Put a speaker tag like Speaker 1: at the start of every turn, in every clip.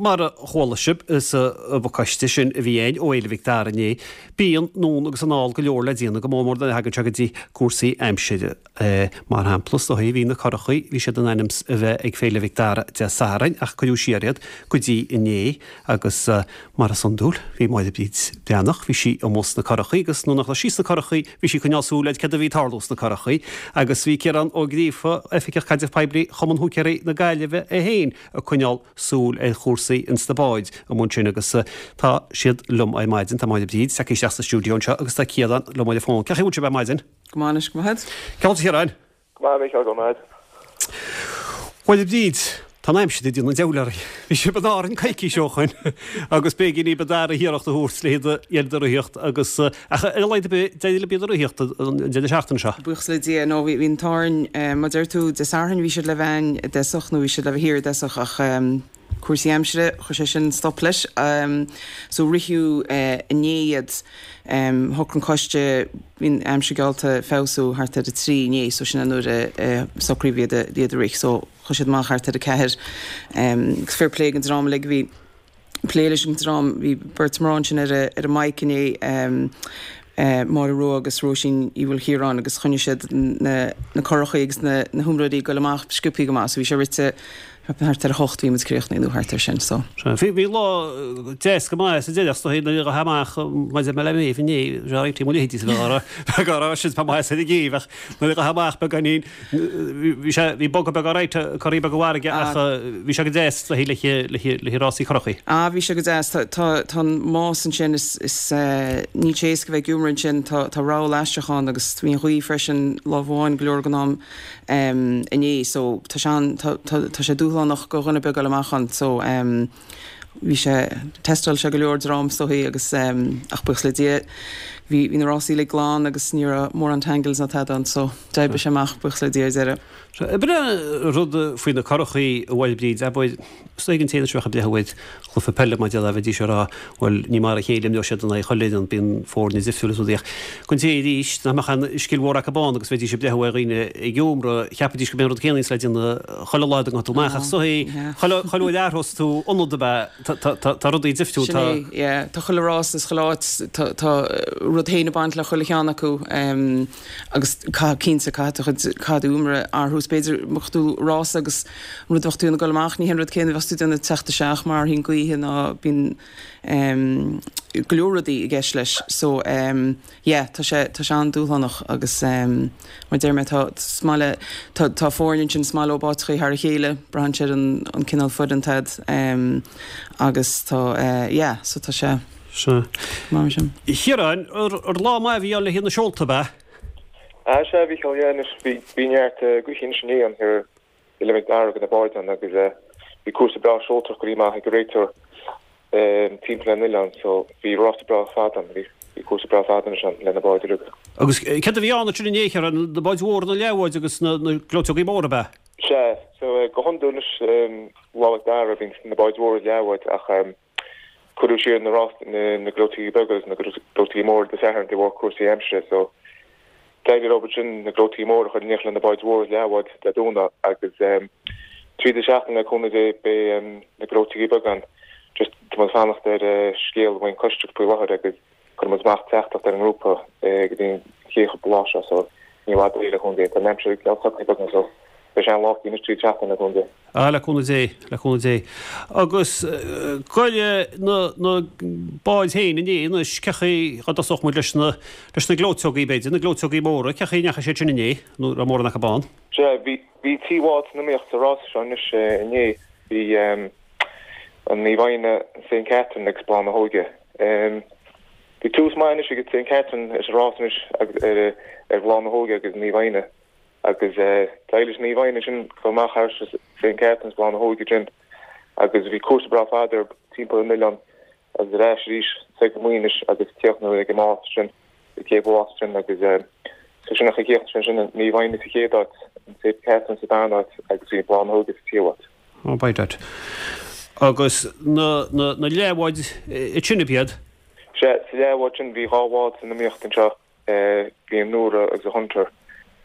Speaker 1: mar a chuala sibh sa bpacáiste sin a bhí againn ó Fhéile Mhic Dara inné, bíonn anonn agus anall go leor le déanamh, go mór mór nuair a thagann sé go dtí cúrsaí aimsire. Mar shampla, is dóigh, bhí na curachaí, bhí siad in ainm 's a bheith ag Féile Mhic Dara Dé Sathairn ach cuireadh siar iad go dtí inné agus mar is iondúil, bhí Máire Bríd Breathnach, bhí sí amuigh sna curachaí agus nuair nach raibh sí sna curachaí, bhí sí ag coinneáil súil ar céard a bhí ag tarlú sna curachaí agus bhí Ciarán Ó Gríofa, Oifigeach Caidrimh Poiblí Chumann Húicéirí na Gaillimhe é féin ag coinneáil súil ar chúrsaí ins na báid amuigh ansin agus tá siad liom ar maidin, tá Máire Bríd tagtha isteach sa stiúideo anseo agus tá Ciarán liom ar an bhfón. Cén chaoi a bhfuil sibh ar maidin?
Speaker 2: Go maith anois, go maith.
Speaker 1: Cén chaoi a Chiaráin?
Speaker 3: Go maith, a Mhícheáil, go maith.
Speaker 1: Bhuel, a Bhríd, tá an aimsir ag déanamh an diabhail orainn. Bhí sibh in Árainn coicís ó shoin agus b'éigean daoibh an dara hiarracht a thabhairt le hiad a dhéanamh de ritheacht agus, ach ar a laghad ar bith, d'éirigh libh iad a ritheacht an deireadh seachtaine seo.
Speaker 2: Buíochas le Dia, nó bhí an t-ádh orainn, mar deir tú, Dé Sathairn bhí siad le bheith a'inn i dtosach, nó bhí siad le bheith thiar i dtosach ach cúrsaí aimsire, chuir sé sin stop leis. So ritheadh inné iad. Shocraigh an coiste, bhí an aimsir geallta feabhsú thart ar a trí inné, so sin é nuair a socraíodh iad a iad a rith. So chuaigh siad amach thart ar a ceathair. Agus fair play don dream uilig a bhí ag plé leis an dream, bhí beirt mná ansin ar a ar an mic inné, Máire Rua agus Róisín Uí Mhaoilchiaráin agus choinnigh siad na na curachaí agus na na hiomróirí ag goil amach sciobthaí go maith. So bhí sé rite Thart ar a hocht bhí muid críochnaithe nó thart ar sin so.
Speaker 1: Sea, bhí, bhí lá deas go maith sa deireadh, is dóigh, nuair a ghabh amach maidir le Méabh inné, bhí réitigh mo leithéidí sa bheith á bheith á rá sin, tá maith ar an gcéibh ach nuair a ghabh amach beagáinín, bhí sé, bhí bogadh beag alright, corraí beag an bhfarraige ach bhí sé go deas le le le le rásaí curachaí.
Speaker 2: Ah, bhí sé go deas, tá, tá, tá an más ansin, is, is, níl sé éasca bheith ag iomramh ansin, tá, tá rogha aisteach ann agus bhí an ghaoth freisin lámh amháin go leor den am. inné so tá sé an, tá, tá, tá sé dúshlánach go dhuine ar bith ag goil amach ann so bhí sé, tástáil sé go leor dream is dóichí agus ach buíochas le Dia bhí, bhí na rásaí uilig glan agus ní raibh mórán tangles ná tada ann so d'oibrigh sé amach buíochas le Dia ar deireadh.
Speaker 1: So, ab in é rud faoi na curachaí a Mháire Bríd, abair, is dóigh an té anois a bheadh ag breathnú ar chluiche peile mar déarfá bheidís ag rá bhuel ní mar a chéile a imreodh siad in aghaidh chuile fhoireann, bíonn foirne difriúil is rudaí ach don té arís nach mbeadh aon scil mhór acu ann agus bheidís ag breathnú ar dhaoine ag iomramh, cheapfaidís go mb'é an rud céanna is le déanamh chuile lá dá ngabhfá amach ach is dóigh chuile chuile uair a athrós tú ionad ab ea tá tá tá tá rudaí difriúil
Speaker 2: Sin
Speaker 1: tá
Speaker 2: é, yeah. Tá chuile rás is chuile áit tá tá rud féin ag baint le chuile cheann acu. Agus caithfidh, cinnte, caithfidh do chuid, caithfidh d'iomramh athrú. Is b'fhéidir, mbeadh tú rása agus an rud a bheadh tú ag dul amach, ní hé an rud céanna a bheas tú ag déanamh ag teacht isteach mar athraíonn gaoithe ná bíonn go leor rudaí i gceist leis. So, yeah, tá sé, tá sé an-dúshlánach agus mar deir mé, tá, is maith le, tá, tá foirne ansin is maith leo áiteachaí thar a chéile, braitheann sé ar an, an cineál foireann atá a'd agus tá, yeah, so tá sé.
Speaker 1: Sea. Mar sin. A Chiaráin, ar lá maith a bhí ann le haghaidh na seolta, ab ea?
Speaker 3: Ah, sea, a Mhícheáil, yeah, anois, bhí, bhí neart gaoithe anois inné ann thiar i Féile Mhic Dara go na báid ann agus bhí cúrsa breá seoltóireachta curtha amach ag an réiteoir timpeall an oileáin so bhí rása breá fada ann, bhí, bhí cúrsa breá fada anois ann le na báid uilig.
Speaker 1: Agus céard a bhí ann ansin inné, a Chiaráin, na báid mhóra, na leathbháid agus na, na gleoiteogaí móra, ab ea?
Speaker 3: Sea, so go hiondúil anois Lá Mhic Dara bíonn na báid mhóra is leathbháid ach Cuireadh siar na rásaí, na gleoiteogaí beaga agus na gleoiteogaí móra Dé Sathairn de bharr cúrsaí aimsire so d'éirigh leo ansin na gleoiteogaí móra a chur in éineacht le na báid mhóra is leathbháid Dé Domhnaigh agus tríd an seachtain le cúnamh Dé beidh na gleoiteogaí beaga ann. Just tá muid ag fanacht ar scéal ón coiste faoi láthair agus cuirfidh muid amach teachtaireacht ar an ngrúpa go dtí an chéad chúpla lá seo so ní i bhfad uaidh le cúnamh Dé. Tá an aimsir ag socrú beagnach so beidh sé an-lá anois tríd an seachtain le cúnamh Dé.
Speaker 1: Ah, le cúnamh Dé, le cúnamh Dé. Agus goile na, na báid féin inné anois, cén chaoi a dtosódh muid leis na, leis na gleoiteogaí b'fhéidir, na gleoiteogaí móra, cén chaoi a ndeachaigh siad sin inné, nó raibh mórán acu ann?
Speaker 3: Sea, bhí, bhí trí bhád san iomaíocht sa rása seo anois inné. Bhí an Naomh Éanna, Saint Catherine agus Bláth na hÓige. Bhí tús maith anois ag Saint Catherine ar sa rás anois agus ar, ar Bhláth na hÓige agus Naomh Éanna. Agus d'éirigh leis Naomh Éanna ansin dul amach thar Saint Catherine's Bláth na hÓige ansin agus bhí cúrsa breá fada ar timpeall an oileáin agus ar ais arís soir go Muínis agus críochnú ag an más sin, ag Céibh Mhás sin agus so sin an chaoi a chríochnaigh sé ansin, Naomh Éanna sa chéad áit, an Saint Catherine's sa darna áit agus bhí Bláth na hÓige sa tríú háit.
Speaker 1: Oh, by dad. Agus na, na, na leathbháid ansin ab iad?
Speaker 3: Sea, sa leathbhád sin bhí dhá bhád san iomaíocht anseo. Bhí an Nóra agus an Hunter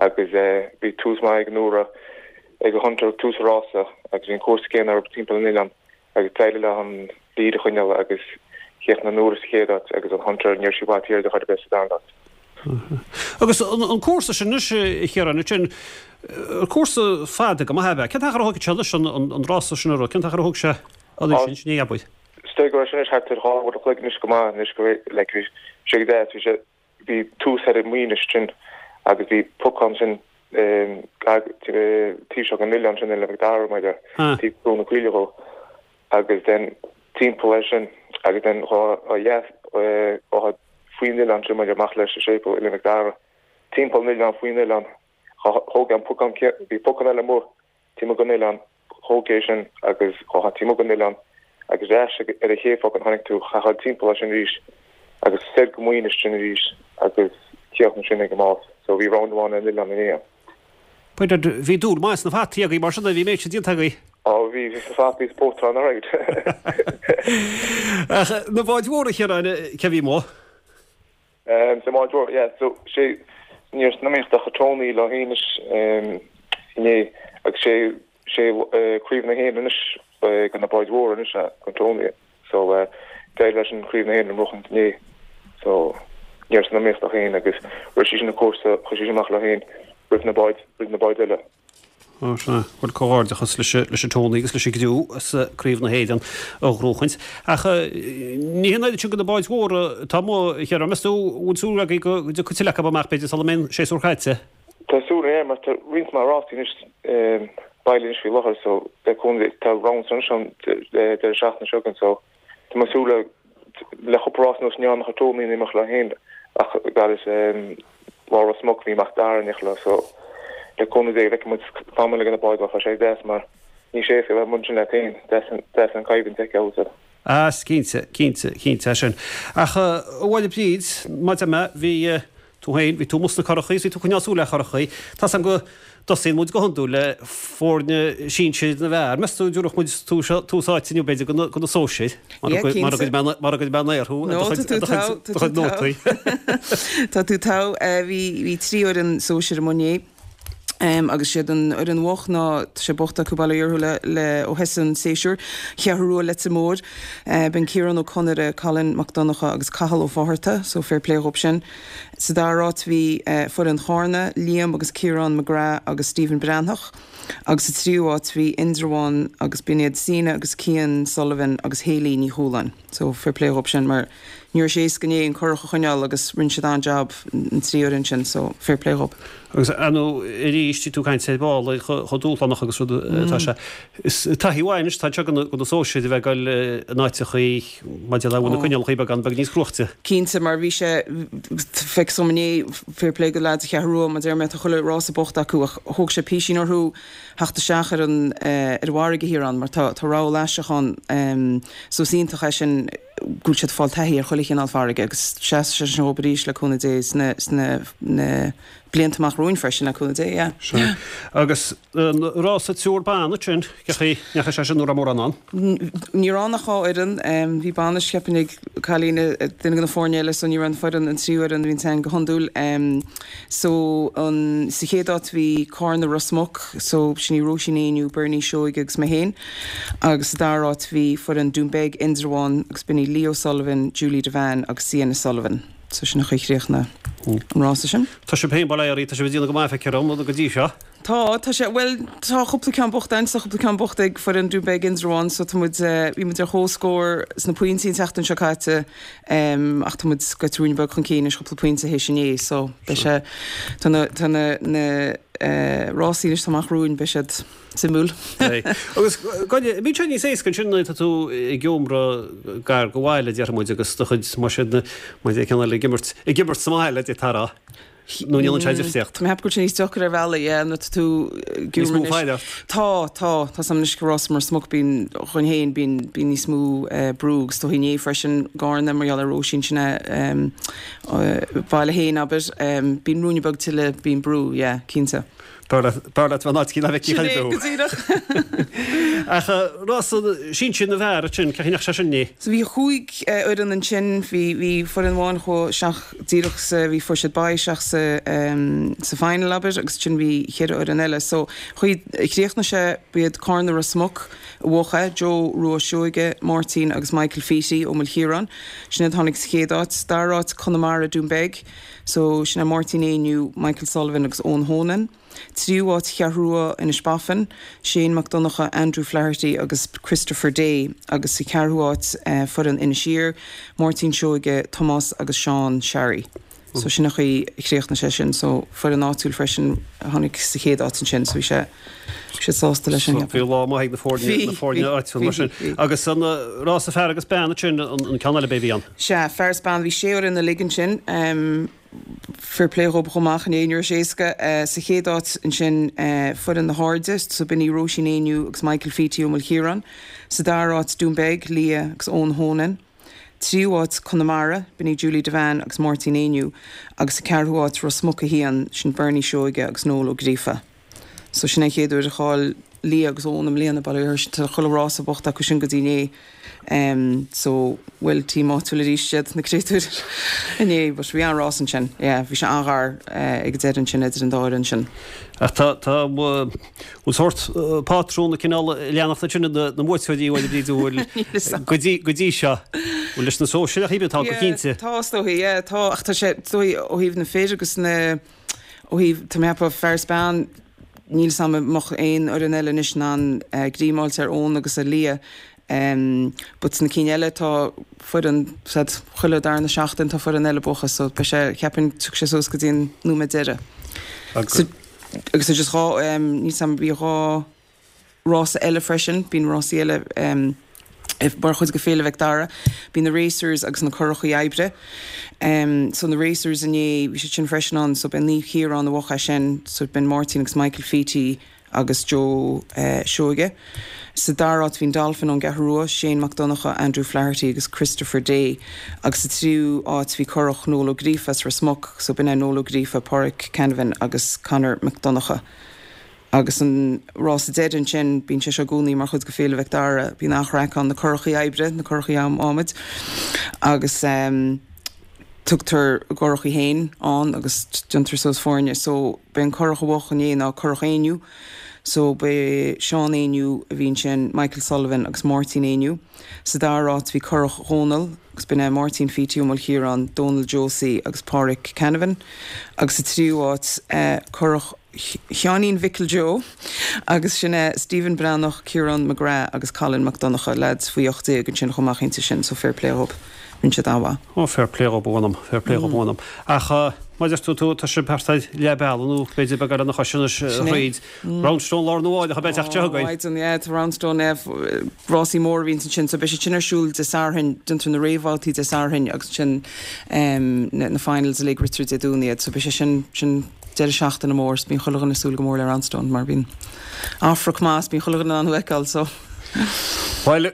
Speaker 3: agus bhí tús maith ag an Nóra ag an Hunter ag tús an rása agus bhí an cúrsa céanna orthu timpeall an oileáin. Agus d'éirigh leo an lead a choinneáil agus chríochnaigh an Nora sa chéad áit agus an Hunter, ní raibh sí i bhfad thiar di chor ar bith sa darna háit.
Speaker 1: Agus an cúrsa sin anois, a Chiaráin, ansin, cúrsa fada go maith ab ea? Cén t-achar a thógfaidh sé anois an rása sin a rith? Cén t-achar a thóg sé an sin, sin é, abair?
Speaker 3: Is dóigh go raibh sé anois thart ar 2 uair a chloig anois go maith anois go raibh, like, bhí sé go deas, bhí sé, bhí tús ar an Mhuínis sin agus bhí pocán sin taobh seo den oileán sin, Oileán Mhic Dara, mar a taobh Brú na Caoile dhó agus then timpeall air sin agus then ó dheas ó faoin oileán sin maidir amach leis an séipéal Oileán Mhic Dara timpeall an oileán faoin oileán thóg an pocán bhí pocán eile amuigh taobh amuigh den oileán, thóg é sin agus ghabhfá taobh amuigh den oileán agus ar ais ar an chéad phocán tháinig tú, chaithfeá dul timpeall air sin arís agus soir go Muínis sin arís agus críochnú sin ag an mbás. So bhí round amháin ar an oileán inné.
Speaker 1: B'fhéidir, bhí dúil maith sna fataí agaibh mar sin, bhí an méid sin déanta agaibh.
Speaker 3: Á bhí, bhí sna fataí is pótaráin alright.
Speaker 1: Ach na báid mhóra, a Chiaráin, cé a bhí amuigh?
Speaker 3: Sa mbád mhór, yeah. So, sé, ní raibh san iomaíocht ach Tony leo féin anois inné agus sé, sé Craobh na hÉireann anois do na báid mhóra anois do Tony. So, d'éirigh leis an Craobh na hÉireann a bhuachaint inné. So, ní raibh san iomaíocht ach féin agus rith sí sin an cúrsa, chuaigh sí sin amach leo féin roimh na báid, roimh na báid eile.
Speaker 1: Ó sea, bhuel comhghairdeachas leis an Tony agus leis an gcriú as Craobh na hÉireann a ghnóchaint. Ach ní hé an oiread sin de na báid mhóra atá amuigh, a Chiaráin. Meas tú, an bhfuil súil agaibh go dtiocfaidh tuilleadh acu amach b'fhéidir sula mbeidh an séasúr caite?
Speaker 3: Tá súil againn mar tá roinnt mhaith rásaí anois bailithe anois faoi láthair so le cúnamh Dé tá rounds anois an deireadh seachtaine seo againn so Tá mé ag súil le le cúpla rás anuas ní raibh ach Tony in imeacht leo féin ach gairid lá Ros Muc bhí Mac Dara in imeacht leo so le cúnamh Dé feicfidh muid tamall ag na báid tá sé deas mar ní sé éasca bheith amuigh ansin leat féin deas deas an coimhlint a fheiceáil so.
Speaker 1: Ah cinnte, cinnte, cinnte é sin. Ach a Mháire Bríd, mar a deir mé, bhí Tú féin, bhí tú amuigh sna curachaí is bhí tú ag coinneáil súil ar churachaí. Tá's agam go dtosaíonn muid go hiondúil le foirne sinsir na bhfear. Meas tú an dtabharfadh muid tús áite inniu b'fhéidir do na sóisir?
Speaker 2: Yeah, cinnte.
Speaker 1: Mara gcuirfidh mé an aer thú
Speaker 2: ar do
Speaker 1: chuid nótaí.
Speaker 2: Tá tú togha. Bhí 3 fhoireann sóisir amuigh inné. Agus siad an fhoireann bhocht ná tá sé bocht acu bail ó Dhia orthu le le ó thosaigh an séasúr. Cheathrú Rua Leitir Móir. B'in Ciarán Ó Conaire, Colin Mac Donncha agus Cathal Ó Fátharta, so fair play dhób sin. Sa dara háit bhí foireann Chárna, Liam agus Ciarán McGrath agus Stephen Breathnach. Agus sa tríú háit bhí Indreabhán agus b'in iad Sina agus Cian Sullivan agus Hayley Ní Chualáin. So fair play dhób sin mar ní raibh sé éasca inné an curach a choinneáil agus rinne siad an-jab an trí fhoireann sin so fair play dhób.
Speaker 1: Agus ar ndóigh arís tí tú ag caint ar ball ar chomh dúshlánach agus rud atá sé. Is taithí mhaith anois atá anseo do na sóisir a bheith ag dul in áiteachaí maidir le bhfuil na coinníollacha beagán beag níos cruaichte.
Speaker 2: Cinnte mar bhí sé feicthe dom inné fair play do leaids Cheathrú Rua mar deir mé tá chuile rása bocht acu ach thóg sé písín orthu theacht isteach ar an ar an bhfarraige thiar ann mar tá tá rabhal aisteach ann so is iontach é sin go bhfuil siad ag fáil taithí ar chuile chineál farraige agus seasfaidh sé sin dhób arís le cúnamh Dé sna sna na blianta amach romhainn freisin le cúnamh Dé yeah.
Speaker 1: Sea. Agus an rása triúr ban ansin, cén chaoi a ndeachaigh sé sin an raibh mórán ann?
Speaker 2: Ní raibh ann ach 2 fhoireann. Bhí bainis cheapfainn ag cailín duine de na foirne eile so ní raibh an foireann an tríú fhoireann a bhí ann go hiondúil. So an, sa chéad áit bhí Cárna Ros Muc, so sin í Róisín Éinniú, Bernie Seoighe agus mé féin. Agus sa dara háit bhí foireann Dún Beag, Indreabhán agus b'in í Lee O'Sullivan, Julie Devane agus Sienna Sullivan. So sin an chaoi a chríochnaigh an rása sin.
Speaker 1: Tá sibh féin, bail ó Dhia oraibh, tá sibh ag déanamh go maith feictear dom, go dtí seo.
Speaker 2: Tá, tá sé, bhuel, tá cúpla ceann bocht againn, tá cúpla ceann bocht ag foireann Dún Beag Indreabhán so tá muid, bhí muid ar comhscór sna pointí an tseachtain seo caite ach tá muid gaibhte ruainne beag chun cinn anois cúpla pointe théis inné so beidh sé, tá na, tá na, na rásaí anois atá amach romhainn, beidh siad suimiúil.
Speaker 1: Beidh. Agus, Gráinne, bíonn sé níos éasca ansin nuair atá tú ag iomramh gar do bhaile, déarfaidh muid, agus do chuid, más ea, más ea ceann eile ag imirt, ag imirt sa mbaile, d'fhéadfá a rá. Nó an ndéanann sé difríocht?
Speaker 2: Tá mé ag ceapadh go bhfuil sé níos deacair ar bhealaí, yeah, nuair atá tú
Speaker 1: ag Níos mó faill ort.
Speaker 2: Tá, tá. Tá 's agam anois ag rás Ros Muc bíonn, dhúinn féin, bíonn, bíonn níos mó brú agus is dóichí inné freisin i gCarna mar gheall ar Róisín sin a baile féin, abair. Bíonn ruainne beag tuilleadh, bíonn brú, yeah, cinnte.
Speaker 1: B'fhearr leat b'fhearr leat bheith in áit eicínt ná bheith
Speaker 2: Sin é, go díreach.
Speaker 1: Ach rása sinsir na bhfear ansin, cén chaoi a ndeachaigh sé sin inné?
Speaker 2: So bhí chúig fhoireann ansin, bhí bhí foireann amháin chuaigh isteach díreach sa, bhí fuair siad bye isteach sa sa final abair agus ansin bhí cheithre fhoireann eile. So chaoi chríochnaigh sé, b'iad Carna Ros Muc a bhuaigh é, Joe Rua Seoige, Máirtín agus Michael Feety ó Mhic Chiaráin, sin iad a tháinig sa chéad áit. Dara háit Conamara Dún Beag, So, sin é Máirtín Éinniú, Michael Sullivan agus Eoin Honan. Tríú háit Cheathrú Rua, Inis Bafain, Shane Mac Donncha, Andrew Flaherty agus Christopher Day agus sa cheathrú háit foireann Inis Oírr, Máirtín Seoige, Tomás agus Seán Sharry. So sin an chaoi a chríochnaigh sé sin. So foireann áitiúil freisin a tháinig sa chéad áit ansin. So bhí sé, bhí siad sásta leis sin.
Speaker 1: So bhí lá maith ag na foirne, na foirne áitiúil mar sin. Agus an rása fear agus bean ansin, an ceann eile b'é a bhí ann.
Speaker 2: Sea, fear is bean, bhí sé fhoireann uilig ansin. Fair play dhób chomh maith, ní raibh sé éasca. Sa chéad áit ansin, foireann na hAirde, so b'in í Róisín Éinniú agus Michael Feety ó Mhic Chiaráin. Sa dara háit, Dún Beag, Leah agus Eoin Honan. Tríú háit, Conamara, b'in í Julie Devane agus Máirtín Éinniú. Agus sa ceathrú háit, Ros Muc 1, sin Bernie Seoige agus Noel Ó Gríofa. So sin é an chéad uair a chaill Leah agus Eoin i mbliana, bail ó Dhia orthu, tá chuile rás buachta acu sin go dtí inné. Em so bhuel team áitiúil arís iad na créatúir inné but bhí an-rás ansin, yeah bhí sé an-ghar eh ag an deireadh ansin idir an dá fhoireann sin.
Speaker 1: Ach tá tá bhfuil sórt pátrún ag cineál leanacht ansin na na mbuaiteoirí a bhfuil Bríd bhfuil go dtí go dtí seo bhfuil leis na sóisir ach tá go cinnte.
Speaker 2: Yeah tá is dóigh yeah tá ach tá sé is dóigh ó thaobh na fir agus na Ó thaobh, tá mé ag ceapadh, fear is bean, níl 's a'm an mbeadh aon fhoireann eile anois in ann greim a fháilt ar Eoin agus ar Leah but sna cinn eile tá foireann, said, chuile darna seachtain tá foireann eile buactha so beidh sé, cheapfainn, tiocfaidh sé suas go dtí an nóiméad deireadh.
Speaker 1: Agus.
Speaker 2: Agus just dhá, níl 's a'm, bhí dhá. rása eile freisin. Bíonn rásaí eile mar chuid de Féile Mhic Dara. Bíonn na racers agus na curachaí oibre. So na racers inné, bhí siad sin freisin ann. So b'é Naomh Chiarán a bhuaigh é sin. So b'in Máirtín agus Michael Feety agus Joe Seoige. Sa dara háit bhí an Dolphin ón gCeathrú Rua, Shane Mac Donncha, Andrew Flaherty agus Christopher Day. Agus sa tríú háit bhí curach Noel Ó Gríofa as Ros Muc. So b'in é Noel Ó Gríofa, Pádraic Canavan agus Conor Mac Donncha. Agus an rása deiridh ansin, bíonn sé seo i gcónaí mar chuid de Féile Mhic Dara, bíonn an-chraic ann, na curachaí oibre, na curachaí adhmaid, agus tugtar a gcurachaí féin ann agus déantar suas foirne. So, b'é an curach a bhuaigh inné ná Curach Éinniú. So, b'é Seán Éinniú a bhí ansin, Michael Sullivan agus Máirtín Éinniú. Sa dara háit bhí Curach Dhónaill agus b'in é Máirtín Feety Ó Maoilchiaráin, Dónal Josie agus Pádraic Canavan. Agus sa tríú háit, Curach. Sheáinín Mhicil Joe agus sin é Stephen Breathnach, Ciarán McGrath agus Colin Mac Donncha, leaids faoi 18 ansin chomh maith cinnte sin so fair play dhób, rinne siad an-mhaith.
Speaker 1: Ó fair play dhób a mh'anam, fair play dhób a mh'anam. Ach mar a deir tú, tá sibh thart ar leath bealaigh nó b'fhéidir beagán lena chois anois thríd. Roundstone lá arna mhárach a bheidh teacht seo
Speaker 2: againn. Ó mhaidean, yeah, tá Roundstone, yeah, rásaí móra a bhíonns ansin so beidh siad sin ar siúl Dé Sathairn, déantar na réamhbhabhtaí Dé Sathairn agus ansin na finals uilig ritear Dé Domhnaigh iad so beidh sé sin, sin deireadh seachtaine mór 's bíonn chuile dhuine ag súil go mór le Roundstone mar bíonn an-chraic maith 's bíonn chuile dhuine in ann thú a fheiceáil so.
Speaker 1: Bhuel, a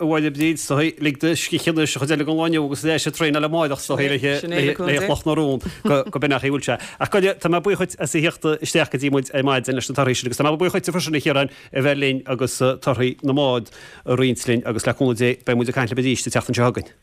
Speaker 1: Mháire Bríd, is dóigh, lig do scíth anois an chuid eile den lá inniu agus ar ais ag traenáil amárach is dóigh le Cloch na Rón go b'in é an chaoi a bhfuil sé. Ach go tá mé buíoch dhuit as a thíocht isteach go dtí muid ar maidin leis na torthaí sin agus tá mé buíoch dhuit freisin a Chiaráin a bheith linn agus torthaí na mbád a roinnt linn agus le cúnamh Dé beidh muid ag caint libh arís an tseachtain seo chugainn.